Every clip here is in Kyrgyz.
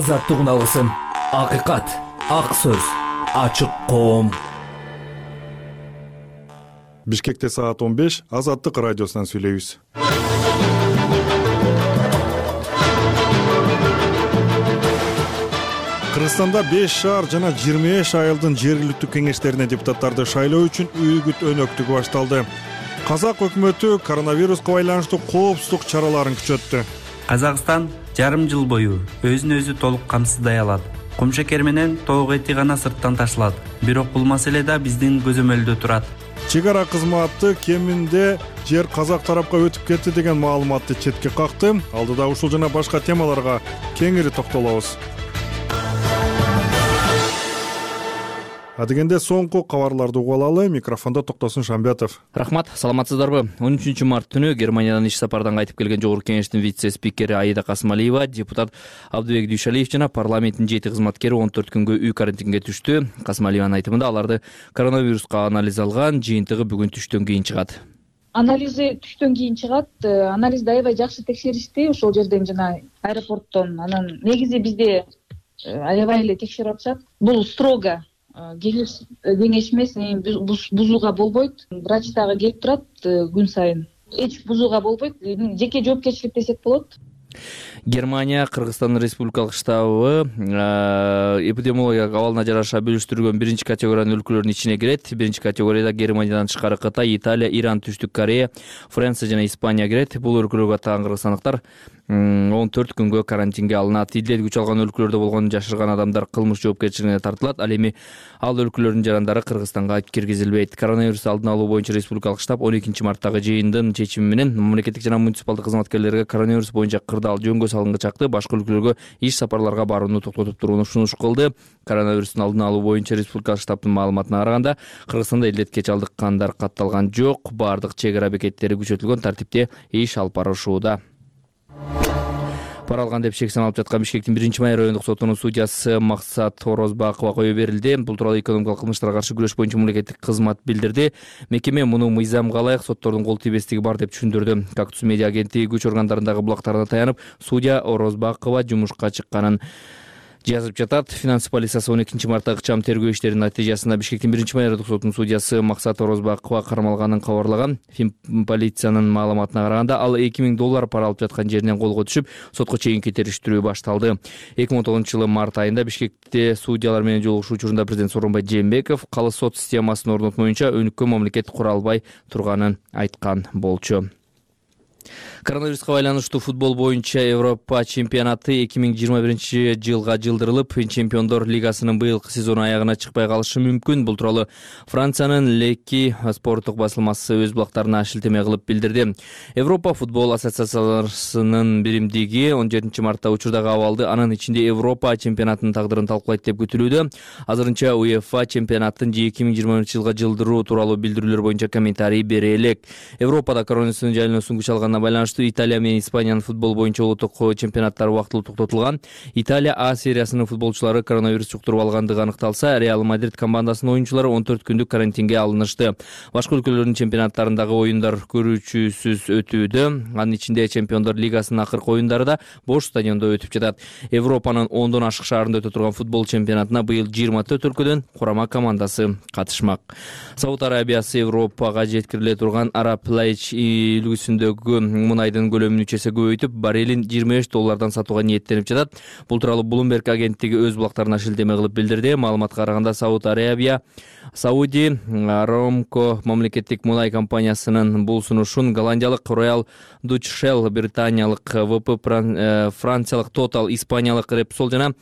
азаттык үналысын. Акыйкат, ак сөз, ачык коом. Бишкекте саат 15 Азаттык радиосунан сүйлөйбүз. Кыргызстанда 5 шаар жана 25 айылдын жергиликтүү кеңештерине депутаттарды шайлоо үчүн үгүт өнөктүгү башталды. Казак өкмөтү коронавируска байланыштуу коопсуздук чараларын күчөттү. Казакстан жарым жыл бою өзүн өзү толук камсыздай алат. Кумшекер менен тоок эти гана сырттан ташылат. Бирок бул маселе да биздин көзөмөлдө турат. Чек ара кызматы кеминде жер казак тарапка өтүп кетти деген маалыматты четке какты. Алдыда ушул жана башка темаларга кеңири токтолобуз. Адегенде соңку кабарларды угуп алалы. Микрофондо Токтосун Шамбетов. Рахмат, саламатсыздарбы? 13 март түнү Германиядан иш сапардан кайтып келген Жогорку кеңештин вице-спикери Аида Касымалиева, депутат Абдыбек Дүйшалиев жана парламенттин 7 кызматкери 14 күнгө үй карантинге түштү. Касымалиеванын айтымында аларды коронавируска анализ алган, жыйынтыгы бүгүн түштөн кийин чыгат. Анализи түштөн кийин чыгат. Анализди аябай жакшы текшеришти ошол жерден жана аэропорттон. Анан негизи бизде аябай эле текшерип атышат. Бул строго кеңеш эмес, бузууга болбойт. Врач дагы келип турат күн сайын. Эч бузууга болбойт. Жеке жоопкерчилик десек болот. Германия Кыргызстандын республикалык штабы эпидемиологиялык абалына жараша бөлүштүрүлгөн 1 категориянын өлкөлөрүнүн ичине кирет. 1 категорияда Германиядан тышкары Кытай, Италия, Иран, Түштүк Корея, Франция жана Испания кирет. Бул өлкөлөргө аттаган кыргызстандыктар 14 күнгө карантинге алынат. Идилет күч алган өлкөлөрдө болгон жашырган адамдар кылмыш жоопкерчилигине тартылат. Ал эми ал өлкөлөрдүн жарандары Кыргызстанга киргизилбейт. Коронавирусту алдын алуу боюнча республикалык штаб 12 марттагы жыйындын чечими менен мамлекеттик жана муниципалдык кызматкерлерге коронавирус боюнча кырдаал жөнгө салынга чакты башка өлкөлөргө иш сапарларга барууну токтотуп турууну сунуш кылды. Коронавирустун алдын алуу боюнча республикалык штабтын маалыматына караганда, Кыргызстанда илдетке чалдыккандар катталган жок. Бардык чек ара бекеттери күчөтүлгөн тартипте иш алып барышууда. Пара алган деп шек саналып жаткан Бишкектин 1-май райондук сотунун судьясы Максат Орозбакова кое берилди. Бул тууралуу экономикалык кылмыштарга каршы күрөш боюнча мамлекеттик кызмат билдирди. Мекеме муну мыйзамга ылайык соттордун кол тийбестиги бар деп түшүндүрдү. Кактус медиа агенттиги күч органдарындагы булактарына таянып, судья Орозбакова жумушка чыкканын жазып жатат. Финанс полициясы 12 мартта ыкчам тергөө иштеринин натыйжасында Бишкектин 1-май райондук сотунун судьясы Максат Орозбакова кармалганын кабарлаган. Полициянын маалыматына караганда, ал $2000 пара алып жаткан жеринен колго түшүп, сотко чейинки териштирүү башталды. 2019-жылы март айында Бишкекте судьялар менен жолугушуу учурунда президент Сооронбай Жээнбеков калыс сот системасын орнотмоюнча өнүккөн мамлекет кура албай турганын айткан болчу. Коронавируска байланыштуу футбол боюнча Европа чемпионаты 2021-жылга жылдырылып, Чемпиондор лигасынын быйылкы сезону аягына чыкпай калышы мүмкүн. Бул тууралуу Франциянын Леки спорттук басылмасы өз булактарына шилтеме кылып билдирди. Европа футбол ассоциациясынын биримдиги 17 мартта учурдагы абалды, анын ичинде Европа чемпионатынын тагдырын талкуулайт деп күтүлүүдө. Азырынча УЕФА чемпионаттын 2020-жылга жылдыруу тууралуу билдирүүлөр боюнча комментарий бере элек. Европада коронавирустун жайылуусун күч алганына байланыштуу Италия менен Испаниянын футбол боюнча улуттук чемпионаттары убактылуу токтотулган. Италия А сериясынын футболчулары коронавирус жуктуруп алгандыгы аныкталса, Реал Мадрид командасынын оюнчулары 14 күндүк карантинге алынышты. Башка өлкөлөрдүн чемпионаттарындагы оюндар көрүүчүсүз өтүүдө. Анын ичинде Чемпиондор лигасынын акыркы оюндары да бош стадиондо өтүп жатат. Европанын 10дон ашык шаарында өтө турган футбол чемпионатына быйыл 24 өлкөдөн курама командасы катышмак. Сауд Арабиясы Европага жеткириле турган Араб Лайч үлгүсүндөгү мунайдын көлөмүн 3 эсе көбөйтүп, баррелин $25 сатууга ниеттенип жатат. Бул тууралуу Bloomberg агенттиги өз булактарына шилтеме кылып билдирди. Маалыматка караганда, Сауд Арабия Сауди Арамко мамлекеттик мунай компаниясынын бул сунушун голландиялык Royal Dutch Shell, британиялык ВП, франциялык Total, испаниялык Repsol жана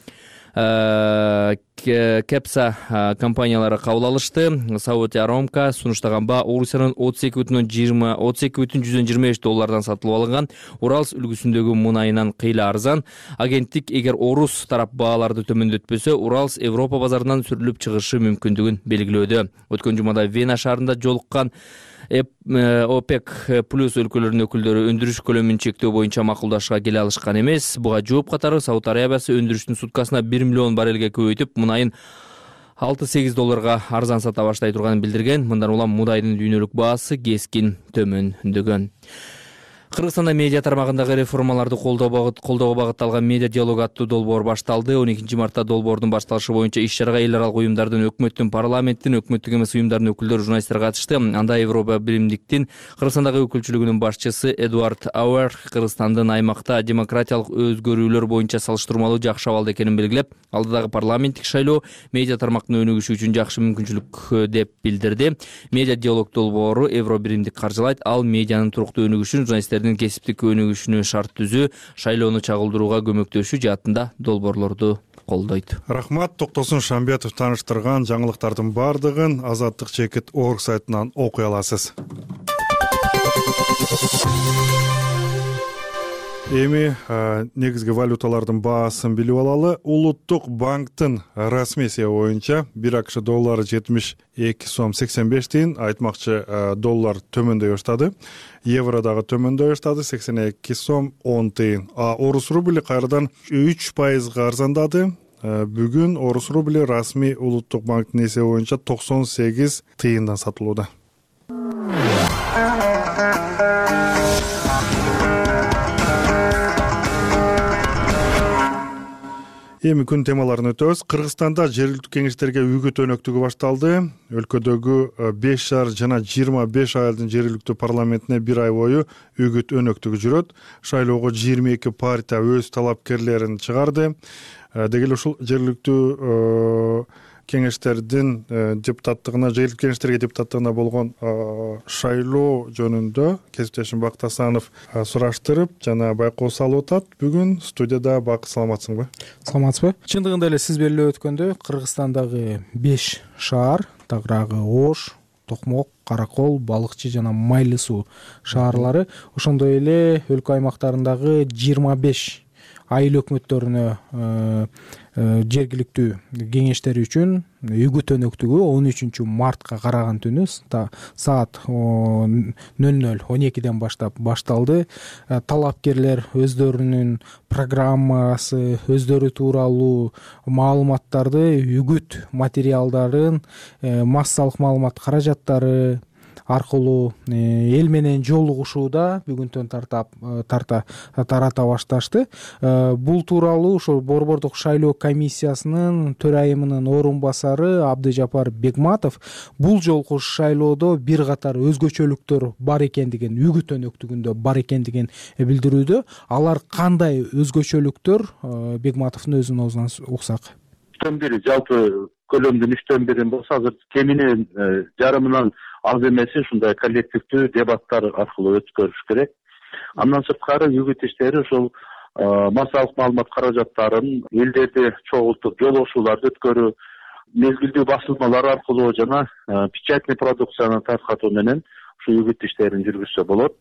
Кепса компаниялары кабыл алышты. Сауди Арамко сунуштаган баа Орусиянын $32,25 сатылып алынган Уралс үлгүсүндөгү мунайынан кыйла арзан. Агенттик эгер Орус тарап бааларды төмөндөтпөсө, Уралс Европа базарынан сүрүлүп чыгышы мүмкүндүгүн белгилөөдө. Өткөн жумада Вена шаарында жолуккан ОПЕК плюс өлкөлөрүнүн өкүлдөрү өндүрүш көлөмүн чектөө боюнча макулдашууга келе алышкан эмес. Буга жооп катары Сауд Арабиясы өндүрүштүн суткасына 1 миллион баррелге көбөйтүп, мунайын $6-8 арзан сата баштай турганын билдирген. Мындан улам мудайдын дүйнөлүк баасы кескин төмөндөгөн. Кыргызстанда медиа тармагындагы реформаларды колдоого багытталган медиа диалог аттуу долбоор башталды. 12 мартта долбоордун башталышы боюнча иш чарага эл аралык уюмдардын, өкмөттүн, парламенттин, өкмөттүк эмес уюмдардын өкүлдөрү, журналисттер катышты. Анда Европа биримдиктин Кыргызстандагы өкүлчүлүгүнүн башчысы Эдуард Ауэр Кыргызстандын аймакта демократиялык өзгөрүүлөр боюнча салыштырмалуу жакшы абалда экенин белгилеп, алдыдагы парламенттик шайлоо медиа тармактын өнүгүшү үчүн жакшы мүмкүнчүлүк деп билдирди. Медиа диалог долбоору Евро биримдик каржылайт. Ал медианын туруктуу өнүгүшүн, журналисттердин кесиптик өнүгүшүнө шарт түзүү, шайлоону чагылдырууга көмөктөшүү жаатында долбоорлорду колдойт. Рахмат. Токтосун Шамбетов тааныштырган жаңылыктардын бардыгын Азаттык Чекит орг сайтынан окуй аласыз. Эми негизги валюталардын баасын билип алалы. Улуттук банктын расмий эсеби боюнча 1 АКШ доллары 72 сом 85 тиын, айтмакчы доллар төмөндөй баштады. Евро дагы төмөндөй баштады, 82 сом 10 тиын. Орус рубли кайрадан 3% арзандады. Бүгүн орус рубли расмий улуттук банктын эсеби боюнча 98 тыйындан сатылууда. Эми күн темаларын өтөбүз. Кыргызстанда жергиликтүү кеңештерге үгүт өнөктүгү башталды. Өлкөдөгү 5 шаар жана 25 айылдын жергиликтүү парламентине 1 ай бою үгүт өнөктүгү жүрөт. Шайлоого 22 партия өз талапкерлерин чыгарды. Деги эле ушул жергиликтүү кеңештердин депутаттыгына, жергиликтүү кеңештерге депутаттыгына болгон шайлоо жөнүндө кесиптешим Бакыт Асанов сураштырып жана байкоо салып атат. Бүгүн студияда Бакыт, саламатсыңбы? Саламатсызбы? Чындыгында эле сиз белгилеп өткөндөй, Кыргызстандагы 5 шаар, тагыраагы Ош, Токмок, Каракол, Балыкчы жана Майлы суу шаарлары, ошондой эле өлкө аймактарындагы 25 айыл өкмөттөрүнө жергиликтүү кеңештери үчүн үгүт өнөктүгү 13 мартка караган түнү саат 00:12 баштап башталды. Талапкерлер өздөрүнүн программасы, өздөрү тууралуу маалыматтарды, үгүт материалдарын, массалык маалымат каражаттары аркылуу эл менен жолугушууда бүгүнтөн тарата башташты. Бул тууралуу ошол Борбордук шайлоо комиссиясынын төрайымынын орун басары Абдыжапар Бегматов бул жолку шайлоодо бир катар өзгөчөлүктөр бар экендигин, үгүт өнөктүгүндө бар экендигин билдирүүдө. Алар кандай өзгөчөлүктөр? Бегматовдун өзүнүн оозунан уксак. 3/1 жалпы көлөмдүн 3/1 болсо азыр кеминен жарымынан аз эмеси ушундай коллективдүү дебаттар аркылуу өткөрүш керек. Андан сырткары үгүт иштери ошол массалык маалымат каражаттарын элдерди чогултуп жолугушууларды өткөрүү, мезгилдүү басылмалар аркылуу жана печатный продукцияны таркатуу менен ушу үгүт иштерин жүргүзсө болот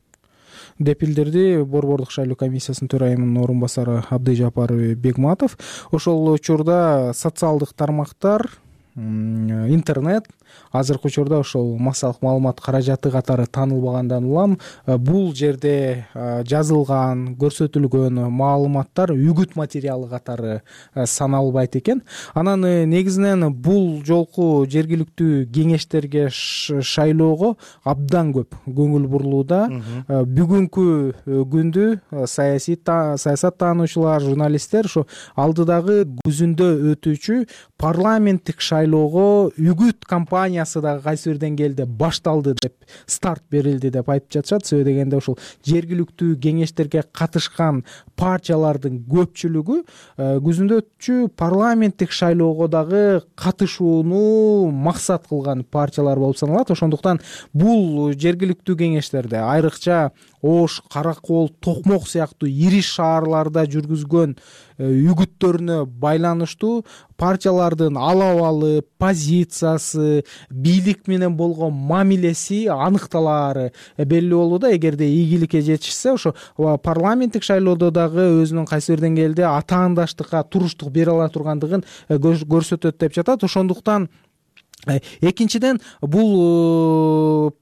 деп билдирди Борбордук шайлоо комиссиясынын төрайымынын орун басары Абдыжапар Бегматов. Ошол учурда социалдык тармактар, интернет азыркы учурда ошол массалык маалымат каражаты катары таанылбагандан улам бул жерде жазылган, көрсөтүлгөн маалыматтар үгүт материалы катары саналбайт экен. Анан негизинен бул жолку жергиликтүү кеңештерге шайлоого абдан көп көңүл бурулууда. Бүгүнкү күндү саясат таануучулар, журналисттер ошо алдыдагы күзүндө өтүүчү парламенттик шайлоого үгүт кампаниясы дагы кайсы бир деңгээлде башталды деп, старт берилди деп айтып жатышат. Себеби дегенде ушул жергиликтүү кеңештерге катышкан партиялардын көпчүлүгү күзүндө өтчү парламенттик шайлоого дагы катышууну максат кылган партиялар болуп саналат. Ошондуктан бул жергиликтүү кеңештерде, айрыкча Ош, Каракол, Токмок сыяктуу ири шаарларда жүргүзгөн үгүттөрүнө байланыштуу партиялардын алабалы, позициясы, бийлик менен болгон мамилеси аныкталаары белгилүү болууда. Эгерде ийгиликке жетишсе, ошо парламенттик шайлоодо дагы өзүнүн кайсы бир деңгээлде атаандаштыкка, туруштук бере ала тургандыгын көрсөтөт деп жатат. Ошондуктан экинчиден бул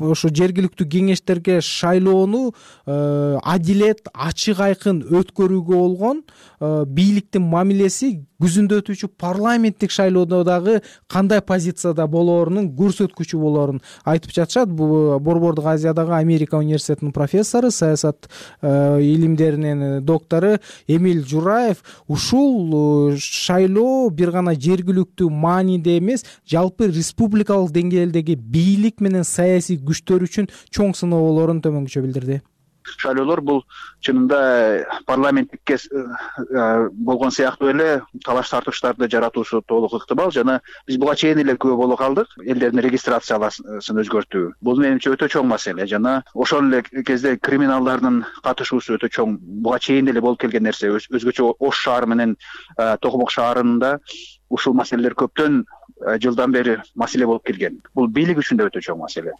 ошо жергиликтүү кеңештерге шайлоону адилет, ачык, айкын өткөрүүгө болгон бийликтин мамилеси күзүндө өтүүчү парламенттик шайлоодо дагы кандай позицияда болоорунун көрсөткүчү болоорун айтып жатышат. Борбордук Азиядагы Америка университетинин профессору, саясат илимдеринин доктору Эмиль Жураев ушул шайлоо бир гана жергиликтүү мааниде эмес, жалпы республикалык деңгээлдеги бийлик менен саясий күчтөр үчүн чоң сыноо болоорун төмөнгүчө билдирди. Шайлоолор бул чынында парламенттикке болгон сыяктуу эле талаш тартыштарды жаратуусу толук ыктымал жана биз буга чейин эле күбө боло калдык. Элдердин регистрацияласын өзгөртүү бул менимче өтө чоң маселе жана ошол эле кезде криминалдардын катышуусу өтө чоң. Буга чейин эле болуп келген нерсе. Өзгөчө Ош шаары менен Токмок шаарында ушул маселелер көптөн жылдан бери маселе болуп келген. Бул бийлик үчүн да өтө чоң маселе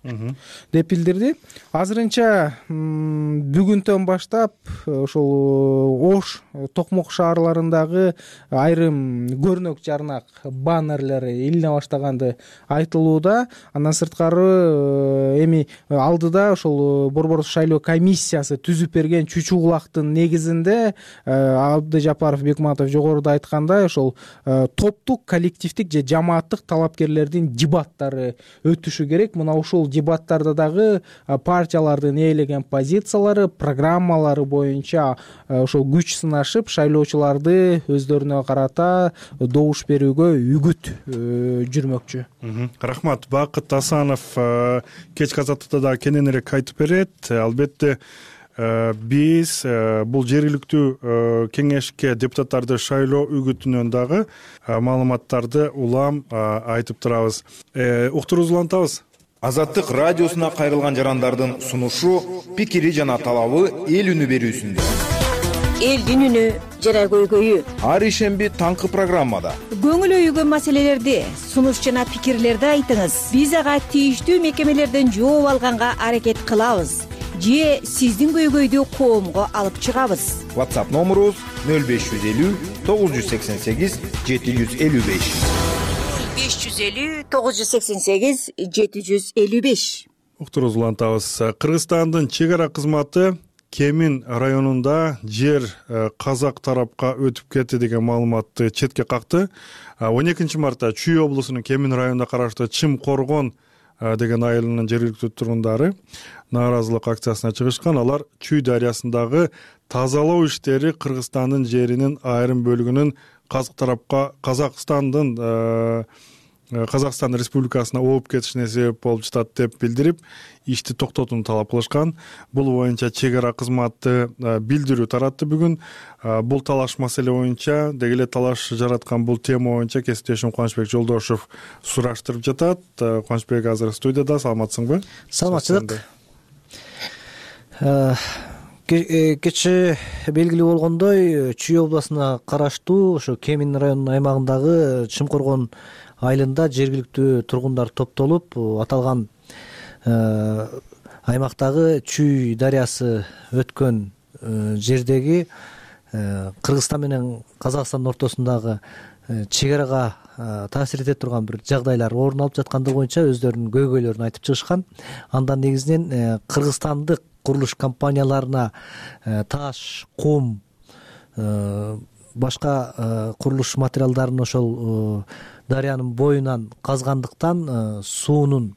деп билдирди. Азырынча бүгүндөн баштап ошол Ош, Токмок шаарларындагы айрым көрнөк жарнак баннерлер илине баштаганды айтылууда. Андан сырткары эми алдыда ошол борбордук шайлоо комиссиясы түзүп берген чүчү кулактын негизинде Абдыжапаров, Бекматов жогоруда айткандай ошол топтук, коллективдик же жамааттык талапкерлердин дебаттары өтүшү керек. Мына ушул дебаттарда дагы партиялардын ээлеген позициялары, программалары боюнча ошол күч сынашып, шайлоочуларды өздөрүнө карата добуш берүүгө үгүт жүрмөкчү. Рахмат. Бакыт Асанов кечки азаттыкта да кененирээк айтып берет. Албетте биз бул жергиликтүү кеңешке депутаттарды шайлоо үгүтүнөн дагы маалыматтарды улам айтып турабыз. Уктуруубузду улантабыз. Азаттык радиосуна кайрылган жарандардын сунушу, пикири жана талабы эл үнү берүүсүндө. Элдин үнү жана көйгөйү. Ар ишемби таңкы программада. Көңүл өйгөн маселелерди, сунуш жана пикирлерди айтыңыз. Биз ага тийиштүү мекемелерден жооп алганга аракет кылабыз. Же сиздин көйгөйдү коомго алып чыгабыз. WhatsApp номерубуз 0550 988 755. 550 988 755. Уктуруубузду улантабыз. Кыргызстандын чек ара кызматы Кемин районунда жер казак тарапка өтүп кетти деген маалыматты четке какты. 12 мартта Чүй облусунун Кемин районуна караштуу Чым Коргон деген айылынын жергиликтүү тургундары нааразылык акциясына чыгышкан. Алар Чүй дарыясындагы тазалоо иштери Кыргызстандын жеринин айрым бөлүгүнүн Казакстан Республикасына ооп кетишине себеп болуп жатат деп билдирип, ишти токтотууну талап кылышкан. Бул боюнча чек ара кызматы билдирүү таратты бүгүн. Бул талаш маселе боюнча, деги эле талаш жараткан бул тема боюнча кесиптешим Кубанычбек Жолдошев сураштырып жатат. Кубанычбек азыр студияда. Саламатсыңбы? Саламатчылык. Кечээ белгилүү болгондой, Чүй областына караштуу ошо Кемин районунун аймагындагы Чымкоргон айылында жергиликтүү тургундар топтолуп, аталган аймактагы Чүй дарыясы өткөн жердеги Кыргызстан менен Казакстандын ортосундагы чек арага таасир эте турган бир жагдайлар орун алып жаткандыгы боюнча өздөрүнүн көйгөйлөрүн айтып чыгышкан. Андан негизинен кыргызстандык курулуш компанияларына таш, кум, башка курулуш материалдарын ошол дарыянын боюнан казгандыктан суунун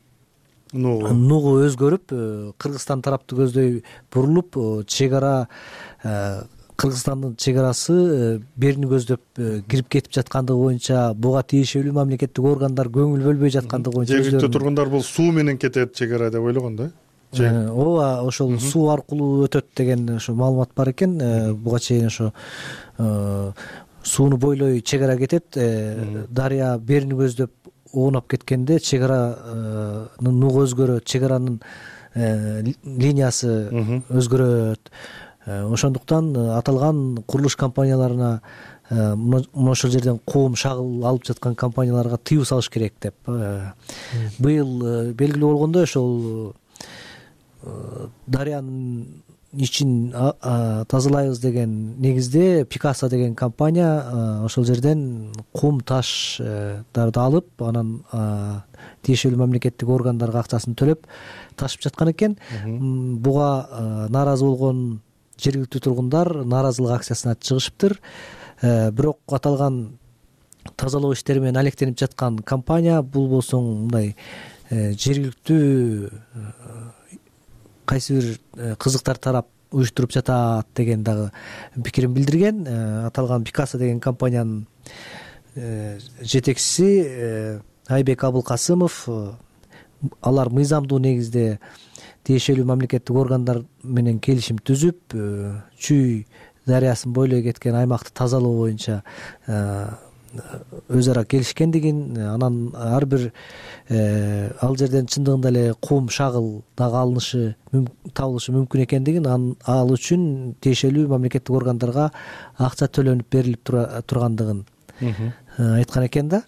нугу өзгөрүп, Кыргызстан тарапты көздөй бурулуп, чек ара Кыргызстандын чек арасы берини көздөп кирип кетип жаткандыгы боюнча, буга тиешелүү мамлекеттик органдар көңүл бөлбөй жаткандыгы боюнча жергиликтүү тургундар бул суу менен кетет чек ара деп ойлогон да. Ооба, ошол суу аркылуу өтөт деген ошо маалымат бар экен. Буга чейин ошо сууну бойлой чек ара кетет, дарыя берини көздөп оонап кеткенде чек аранын нугу өзгөрөт, чек аранын линиясы өзгөрөт. Ошондуктан аталган курулуш компанияларына ошол жерден кум, шагыл алып жаткан компанияларга тыюу салыш керек деп. Быйыл белгилүү болгондой, ошол дарыянын ичин тазалайбыз деген негизде Пикаса деген компания ошол жерден кум таштарды алып, анан тиешелүү мамлекеттик органдарга акчасын төлөп ташып жаткан экен. Буга нааразы болгон жергиликтүү тургундар нааразылык акциясына чыгышыптыр. Бирок аталган тазалоо иштери менен алектенип жаткан компания бул болсо мындай жергиликтүү кайсы бир кызыктар тарап уюштуруп жатат деген дагы пикирин билдирген. Аталган Пикаса деген компаниянын жетекчиси Айбек Абылкасымов алар мыйзамдуу негизде тиешелүү мамлекеттик органдар менен келишим түзүп, Чүй дарыясын бойлой кеткен аймакты тазалоо боюнча өз ара келишкендигин, анан ар бир ал жерден чындыгында эле кум, шагыл дагы табылышы мүмкүн экендигин, ал үчүн тиешелүү мамлекеттик органдарга акча төлөнүп берилип тургандыгын айткан экен да.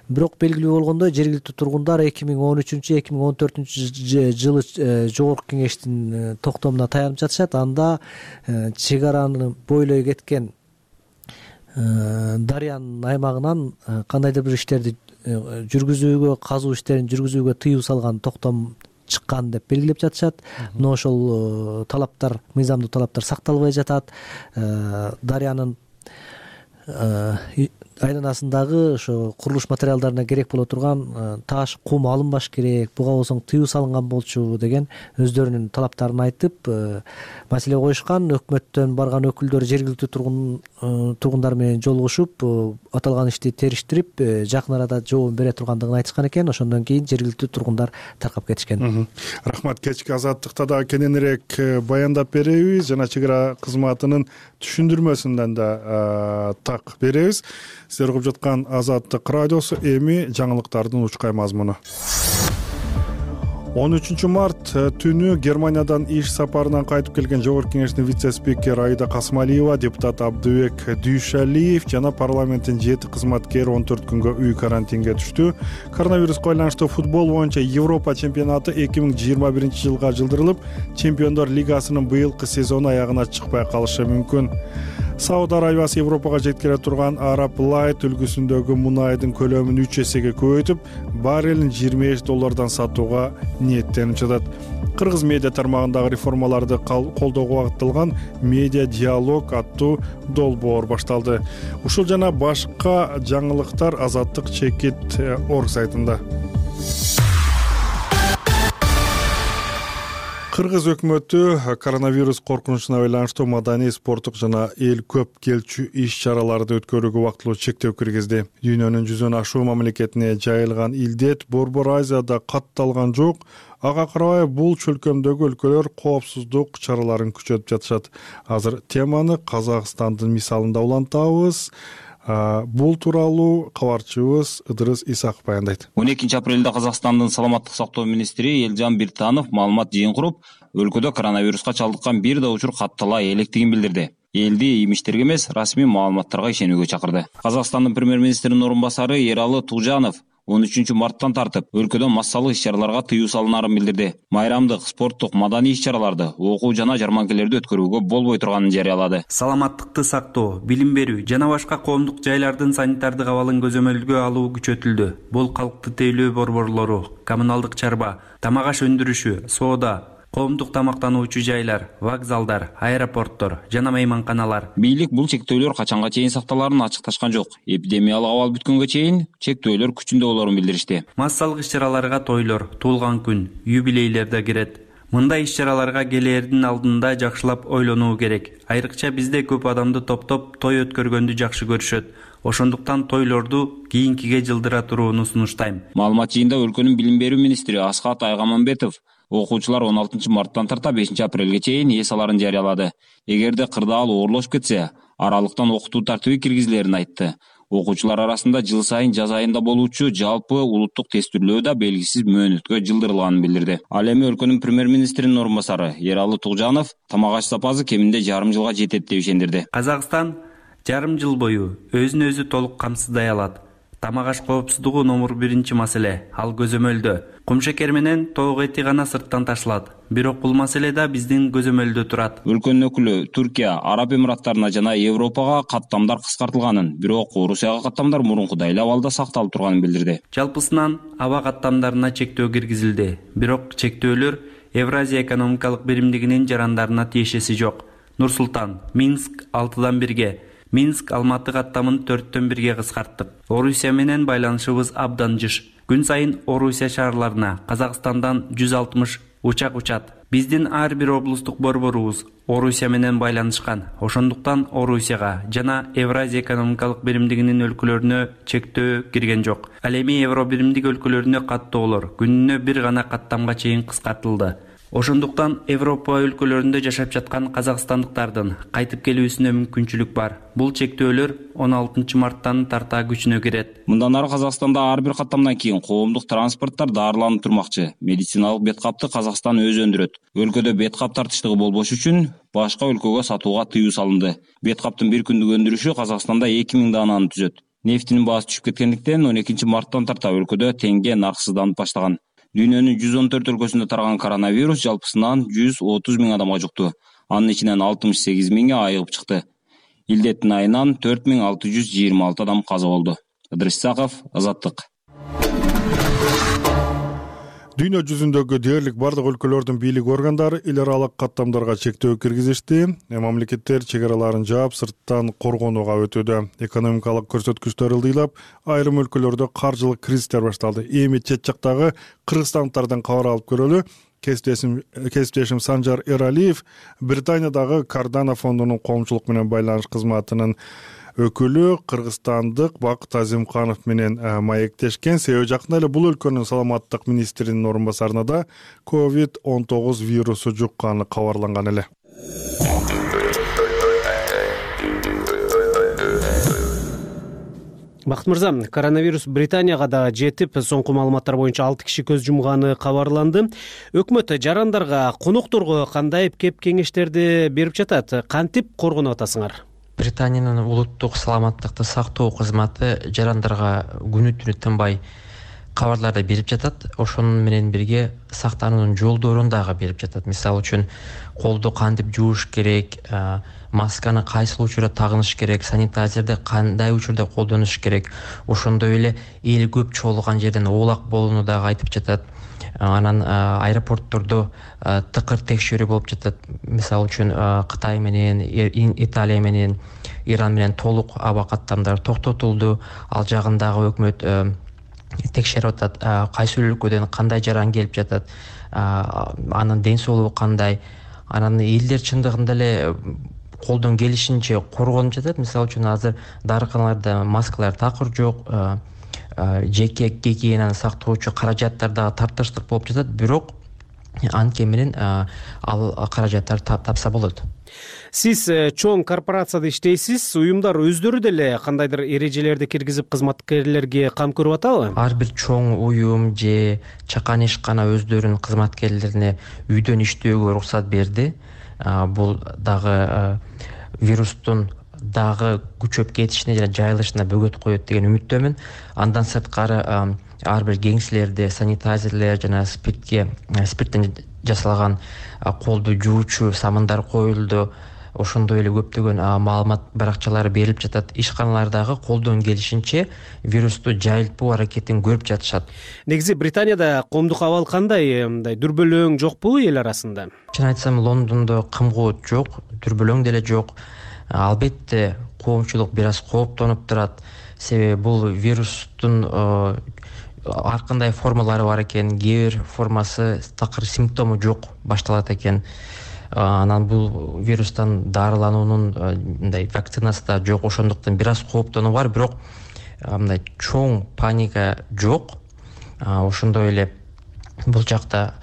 Бирок белгилүү болгондой, жергиликтүү тургундар 2013-2014 жылы жогорку кеңештин токтомуна таянып жатышат. Анда чек араны бойлой кеткен дарыянын аймагынан кандайдыр бир иштерди жүргүзүүгө, казуу иштерин жүргүзүүгө тыюу салган токтом чыккан деп белгилеп жатышат. Но ошол талаптар, мыйзамдуу талаптар сакталбай жатат. Дарыянын айланасындагы ошо курулуш материалдарына керек боло турган таш, кум алынбаш керек, буга болсоң тыюу салынган болчу деген өздөрүнүн талаптарын айтып маселе коюшкан. Өкмөттөн барган өкүлдөр жергиликтүү тургундар менен жолугушуп, аталган ишти териштирип, жакын арада жообун бере тургандыгын айтышкан экен. Ошондон кийин жергиликтүү тургундар таркап кетишкен. Рахмат. Кечки Азаттыкта да кененирээк баяндап беребиз, жана чек ара кызматынын түшүндүрмөсүндөн да так беребиз. Сиздер угуп жаткан Азаттык радиосу, эми жаңылыктардын учкай мазмуну. 13 март түнү Германиядан иш сапарынан кайтып келген Жогорку кеңештин вице-спикери Аида Касмалиева, депутат Абдыбек Дүйшалиев жана парламенттин 7 кызматкери 14 күнгө үй карантинге түштү. Коронавируска байланыштуу футбол боюнча Европа чемпионаты 2021-жылга жылдырылып, Чемпиондор лигасынын быйылкы сезону аягына чыкпай калышы мүмкүн. Сауд Арабиясы Европага жеткире турган Arab Light үлгүсүндөгү мунайдын көлөмүн 3 эсеге көбөйтүп, баррелин $25 сатууга ниеттенип жатат. Кыргыз медиа тармагындагы реформаларды колдоого багытталган медиа диалог аттуу долбоор башталды. Ушул жана башка жаңылыктар Азаттык Чекит.org сайтында. Кыргыз өкмөтү коронавирус коркунучуна байланыштуу маданий, спорттук жана эл көп келчү иш-чараларды өткөрүүгө убактылуу чектөө киргизди. Дүйнөнүн 100 ашуу мамлекетине жайылган илдет Борбор Азияда катталган жок. Ага карабай бул чөлкөмдөгү өлкөлөр коопсуздук чараларын күчөтүп жатышат. Азыр теманы Казакстандын мисалында улантабыз. Бул тууралуу кабарчыбыз Ыдырыс Исаков баяндайт. 12 апрелде Казакстандын саламаттык сактоо министри Элжан Биртанов маалымат жыйын куруп, өлкөдө коронавируска чалдыккан бир да учур каттала электигин билдирди. Элди имиштерге эмес, расмий маалыматтарга ишенүүгө чакырды. Казакстандын премьер-министринин орун басары Эралы Тугжанов 13 марттан тартып өлкөдө массалык иш-чараларга тыюу салынарын билдирди. Майрамдык, спорттук, маданий иш-чараларды, окуу жана жарманкелерди өткөрүүгө болбой турганын жарыялады. Саламаттыкты сактоо, билим берүү жана башка коомдук жайлардын санитардык абалын көзөмөлгө алуу күчөтүлдү. Бул калкты тейлөө борборлору, коммуналдык чарба, тамак аш өндүрүшү, соода, коомдук тамактануучу жайлар, вокзалдар, аэропорттор жана мейманканалар. Бийлик бул чектөөлөр качанга чейин сакталарын ачыкташкан жок. Эпидемиялык абал бүткөнгө чейин чектөөлөр күчүндө болорун билдиришти. Массалык иш-чараларга тойлор, туулган күн, юбилейлер да кирет. Мындай иш-чараларга келээрдин алдында жакшылап ойлонуу керек. Айрыкча бизде көп адамды топтоп той өткөргөндү жакшы көрүшөт. Ошондуктан тойлорду кийинкиге жылдыра турууну сунуштайм. Маалымат жыйында өлкөнүн билим берүү министри Асхат Айгаманбетов окуучулар 16 марттан тарта 5 апрелге чейин эс аларын жарыялады. Эгерде кырдаал оорлошуп кетсе, аралыктан окутуу тартиби киргизилерин айтты. Окуучулар арасында жыл сайын жаз айында болуучу жалпы улуттук тестүрлөө да белгисиз мөөнөткө жылдырылганын билдирди. Ал эми өлкөнүн премьер-министринин орун басары Эралы Тугжанов тамак аш запасы кеминде жарым жылга жетет деп ишендирди. Казакстан жарым жыл бою өзүн өзү толук камсыздай алат. Тамак аш коопсуздугу номер 1 маселе. Ал көзөмөлдө. Кумшекер менен тоок эти гана сырттан ташылат. Бирок бул маселе да биздин көзөмөлдө турат. Өлкөнүн өкүлү Түркия, Араб Эмираттарына жана Европага каттамдар кыскартылганын, бирок Орусияга каттамдар мурункудай эле абалда сакталып турганын билдирди. Жалпысынан аба каттамдарына чектөө киргизилди. Бирок чектөөлөр Евразия экономикалык биримдигинин жарандарына тиешеси жок. Нур-Султан, Минск 6-дан 1-ге, Минск Алматы каттамын 4-төн 1-ге кыскарттык. Орусия менен байланышыбыз абдан жыш. Күн сайын Орусия шаарларына Казакстандан 160 учак учат. Биздин ар бир облустук борборубуз Орусия менен байланышкан. Ошондуктан Орусияга жана Евразия экономикалык биримдигинин өлкөлөрүнө чектөө кирген жок. Ал эми Евро биримдик өлкөлөрүнө каттоолор күнүнө бир гана каттамга чейин кыскартылды. Ошондуктан Европа өлкөлөрүндө жашап жаткан казакстандыктардын кайтып келүүсүнө мүмкүнчүлүк бар. Бул чектөөлөр 16 марттан тарта күчүнө кирет. Мындан ары Казакстанда ар бир каттамдан кийин коомдук транспорттор дарыланып турмакчы. Медициналык бет капты Казакстан өзү өндүрөт. Өлкөдө бет кап тартыштыгы болбош үчүн башка өлкөгө сатууга тыюу салынды. Бет каптын бир күндүк өндүрүшү Казакстанда 2000 дананы түзөт. Нефтинин баасы түшүп кеткендиктен 12 марттан тарта өлкөдө теңге нарксызданып баштаган. Дүйнөнүн 114 өлкөсүндө тараган коронавирус жалпысынан 130 000 адамга жукту. Анын ичинен 68 000 айыгып чыкты. Илдеттин айынан 4626 адам каза болду. Ыдырыс Исаков, Азаттык. Дүйнө жүзүндөгү дээрлик бардык өлкөлөрдүн бийлик органдары эл аралык каттамдарга чектөө киргизишти. Мамлекеттер чек араларын жаап, сырттан коргонууга өтүүдө. Экономикалык көрсөткүчтөр ылдыйлап, айрым өлкөлөрдө каржылык кризистер башталды. Эми чет жактагы кыргызстандыктардан кабар алып көрөлү. Кесиптешим Санжар Эралиев Британиядагы Кардана фондунун коомчулук менен байланыш кызматынын өкүлү кыргызстандык Бакыт Азимканов менен маектешкен. Себеби жакында эле бул өлкөнүн саламаттык министринин орун басарына да COVID-19 вирусу жукканы кабарланган эле. Бакыт мырза, коронавирус Британияга да жетип, соңку маалыматтар боюнча 6 киши көз жумганы кабарланды. Өкмөт жарандарга, конокторго кандай кеп кеңештерди берип жатат? Кантип коргонуп атасыңар? Британиянын улуттук саламаттыкты сактоо кызматы жарандарга күнү-түнү тынбай кабарларды берип жатат. Ошонун менен бирге сактануунун жолдорун дагы берип жатат. Мисалы үчүн колду кантип жууш керек, масканы кайсыл учурда тагыныш керек, санитайзерди кандай учурда колдонуш керек. Ошондой эле эл көп чогулган жерден оолак болууну дагы айтып жатат. Анан аэропорттордо тыкыр текшерүү болуп жатат. Мисалы үчүн Кытай менен, Италия менен, Иран менен толук аба каттамдары токтотулду. Ал жагындагы өкмөт текшерип атат, кайсы өлкөдөн кандай жаран келип жатат, анын ден соолугу кандай. Анан элдер чындыгында эле колдон келишинче коргонуп жатат. Мисалы үчүн азыр дарыканаларда маскалар такыр жок, жеке гигиенаны сактоочу каражаттар дагы тартыштык болуп жатат, бирок анткени менен ал каражаттар тапса болот. Сиз чоң корпорацияда иштейсиз, уюмдар өздөрү деле кандайдыр эрежелерди киргизип кызматкерлерге кам көрүп атабы? Ар бир чоң уюм же чакан ишкана өздөрүнүн кызматкерлерине үйдөн иштөөгө уруксат берди. Бул дагы вирустун дагы күчөп кетишине жана жайылышына бөгөт коет деген үмүттөмүн. Андан сырткары ар бир кеңселерде санитайзерлер жана спирттен жасалган колду жуучу самындар коюлду. Ошондой эле көптөгөн маалымат баракчалары берилип жатат. Ишканалардагы колдон келишинче вирусту жайылтпоо аракетин көрүп жатышат. Негизи Британияда коомдук абал кандай? Мындай дүрбөлөң жокпу эл арасында? Чын айтсам, Лондондо кымгоот жок, дүрбөлөң деле жок. Албетте коомчулук бир аз кооптонуп турат. Себеби бул вирустун ар кандай формалары бар экен, кээ бир формасы такыр симптому жок башталат экен. Анан бул вирустан дарылануунун мындай вакцинасы да жок, ошондуктан бир аз кооптонуу бар, бирок мындай чоң паника жок. Ошондой эле бул жакта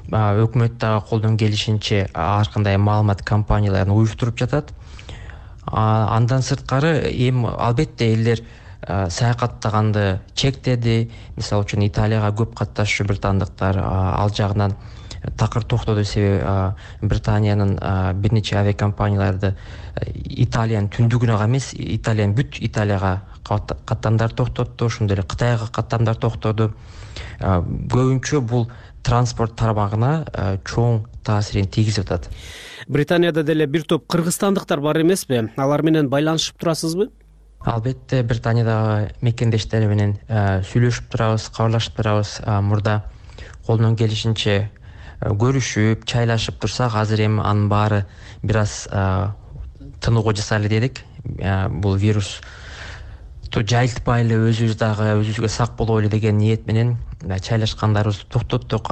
өкмөт дагы колдон келишинче ар кандай маалымат компанияларын уюштуруп жатат. Андан сырткары эми албетте элдер саякаттаганды чектеди. Мисалы үчүн Италияга көп катташчу британдыктар ал жагынан такыр токтоду. Себеби Британиянын бир нече авиакомпанияларды Италиянын түндүгүнө эмес, бүт Италияга каттамдар токтотту. Ошондой эле Кытайга каттамдар токтоду. Көбүнчө бул транспорт тармагына чоң таасирин тийгизип атат. Британияда деле бир топ кыргызстандыктар бар эмеспи? Алар менен байланышып турасызбы? Албетте, Британиядагы мекендештер менен сүйлөшүп турабыз, кабарлашып турабыз. Мурда колдон келишинче көрүшүп, чайлашып турсак, азыр эми анын баары бир аз тынууга жасайлы дедик. Бул вирус жайылтпайлы, өзүбүз дагы өзүбүзгө сак бололу деген ниет менен чайлашкандарыбызды токтоттук.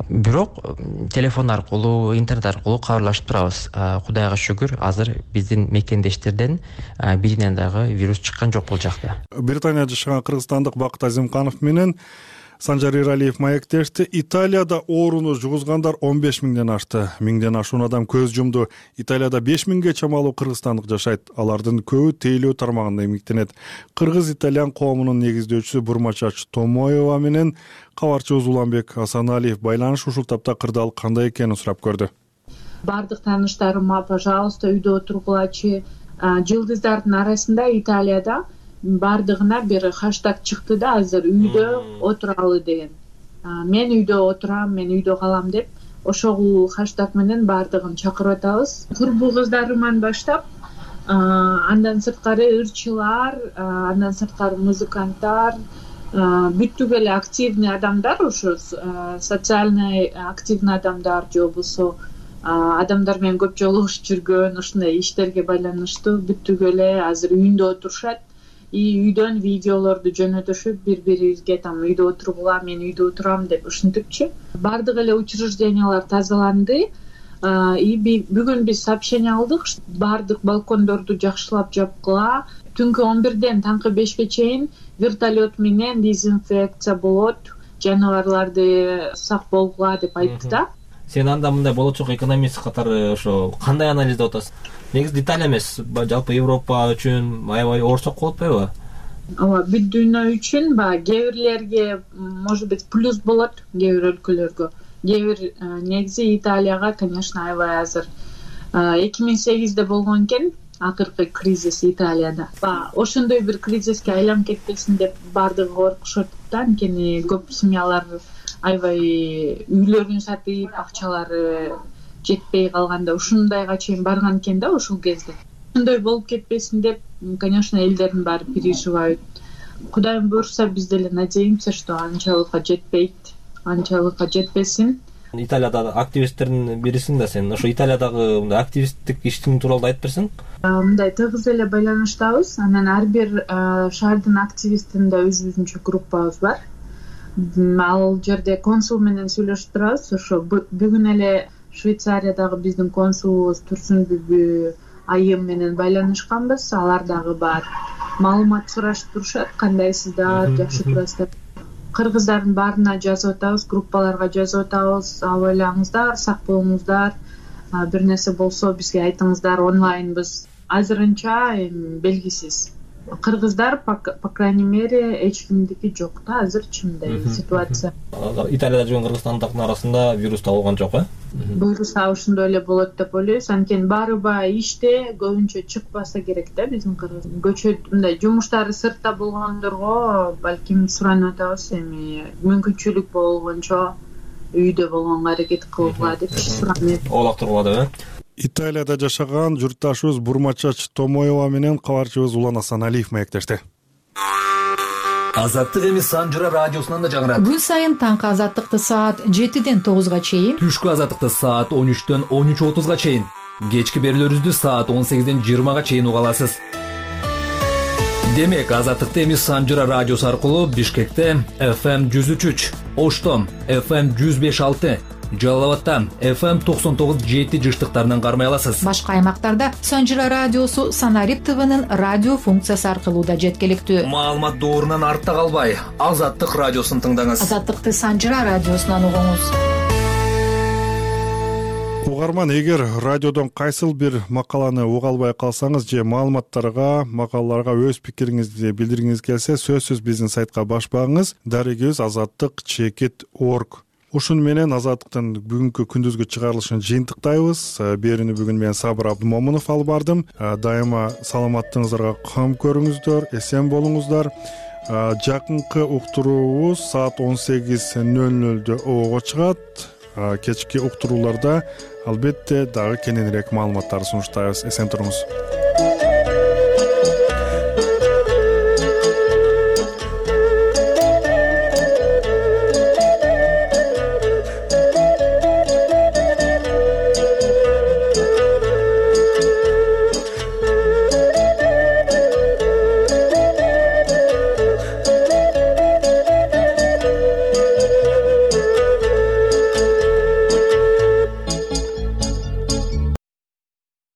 Бирок телефон аркылуу, интернет аркылуу кабарлашып турабыз. Кудайга шүгүр, азыр биздин мекендештерден биринен дагы вирус чыккан жок бул жакта. Британияда жашаган кыргызстандык Бакыт Азимканов менен Санжар Иралиев маектешти. Италияда ооруну жугузгандар 15 миңден ашты. 1000ден ашуун адам көз жумду. Италияда 5 миңге чамалуу кыргызстандык жашайт. Алардын көбү тейлөө тармагында эмгектенет. Кыргыз-итальян коомунун негиздөөчүсү Бурмачач Томоева менен кабарчыбыз Уланбек Асаналиев байланыш ушул тапта кырдаал кандай экенин сурап көрдү. Бардык тааныштарыма, пожалуйста, үйдө отургулачы. Жылдыздардын арасында Италияда бардыгына бир хаштаг чыкты да, азыр үйдө отуралы деген. Мен үйдө отурам, мен үйдө калам деп, ошол хаштаг менен бардыгын чакырып атабыз. Курбу кыздарыман баштап, андан сырткары ырчылар, андан сырткары музыканттар, бүттүк эле активный адамдар, ошо социальный активный адамдар же болбосо адамдар менен көп жолугушуп жүргөн, ушундай иштерге байланыштуу бүттүк эле азыр үйүндө отурушат. Үйдөн видеолорду жөнөтүшүп, бири-бирибизге там үйдө отургула, мен үйдө отурам деп ушинтипчи. Бардык эле учреждениялар тазаланды. Бүгүн биз сообщение алдык, бардык балкондорду жакшылап жапкыла. Түнкү 11ден таңкы 5ке чейин вертолет менен дезинфекция болот, жаныбарларды сак болгула деп айтты да. Сен анда мындай болочок экономист катары ошо кандай анализдеп атасың? Негизи Италия эмес, жалпы Европа үчүн аябай оорчок болуп атпайбы? Ооба, бүт дүйнө үчүн кээ бирлерге может быть плюс болот, кээ бир өлкөлөргө. Кээ бир негизи Италияга, конечно, аябай азыр 2008-де болгон экен акыркы кризис Италияда. Ошондой бир кризиске айланып кетпесин деп бардыгы коркушат да, анткени көп семьялар аябай үйлөрүн сатып, акчалары жетпей калганда ушундайга чейин барган экен да ушул кезде. Ушундай болуп кетпесин деп, конечно, элдердин баары переживают. Кудайым буйрса, биз деле надеемся, что анчалыкка жетпейт, анчалыкка жетпесин. Италияда активисттердин бирисиң да сен. Ошо Италиядагы мындай активисттик иштин тууралуу айтып берсең? Мындай тыгыз эле байланыштабыз. Анан ар бир шаардын активистинде өзүбүзүнчө группабыз бар. Ал жерде консул менен сүйлөшүп турабыз. Ошо бүгүн эле Швейцариядагы биздин консулубуз Турсунбүбү айым менен байланышканбыз. Алар дагы бар маалымат сурашып турушат, кандайсыздар, жакшы турасыздар. Кыргыздардын баарына жазып атабыз, группаларга жазып атабыз. Абайлаңыздар, сак болуңуздар. Бир нерсе болсо бизге айтыңыздар, онлайнбыз. Азырынча белгисиз. Кыргыздар, по крайней мере, эч кимдики жок да, азырчы мындай ситуация. Италияда жүргөн кыргызстандыктын арасында вирус табылган жок, Буйруса ошондой эле болот деп ойлойбуз. Анткени баарыбай иште, көбүнчө чыкпаса керек да биздин кыргыз. Көчөт мындай жумуштары сыртта болгондорго балким суранып атабыз, эми мүмкүнчүлүк болгончо үйдө болгонго аракет кылгыла деп суранып. Оолак тургула. Италияда жашаган журтташыбыз Бурмачач Томоева менен кабарчыбыз Улан Асаналиев маектешти. Азаттык эми Санжыра радиосунан да жаңырат. Күн сайын таңкы азаттыкты саат 7ден 9га чейин, түшкү азаттыкты саат 13дөн 13:30га чейин, кечки берүүлөрүбүздү саат 18ден 20га чейин уга аласыз. Демек, азаттыкты эми Санжыра радиосу аркылуу Бишкекте FM 103, Оштом FM 105.6, Жалал Абадта FM 99.7 жыштыктарынан кармай аласыз. Башка аймактарда Санжыра радиосу Санарип ТВнын радио функциясы аркылуу да жеткиликтүү. Маалымат доорунан артта калбай, Азаттык радиосун тыңдаңыз. Азаттыкты Санжыра радиосунан угуңуз. Угарман, эгер радиодон кайсыл бир макаланы уга албай калсаңыз же макалаларга өз пикириңизди билдиргиңиз келсе, сөзсүз биздин сайтка баш багыңыз. Дарегибиз azattik.org. Ушуну менен Азаттыктын бүгүнкү күндүзгү чыгарылышын жыйынтыктайбыз. Берүүнү бүгүн мен Сабыр Абдымомунов алып бардым. Дайыма саламаттыгыңыздарга кам көрүңүздөр, эсен болуңуздар. Жакынкы уктуруубуз саат 18:00 ого чыгат. Кечки уктурууларда албетте дагы кененирээк маалыматтарды сунуштайбыз. Эсен туруңуз.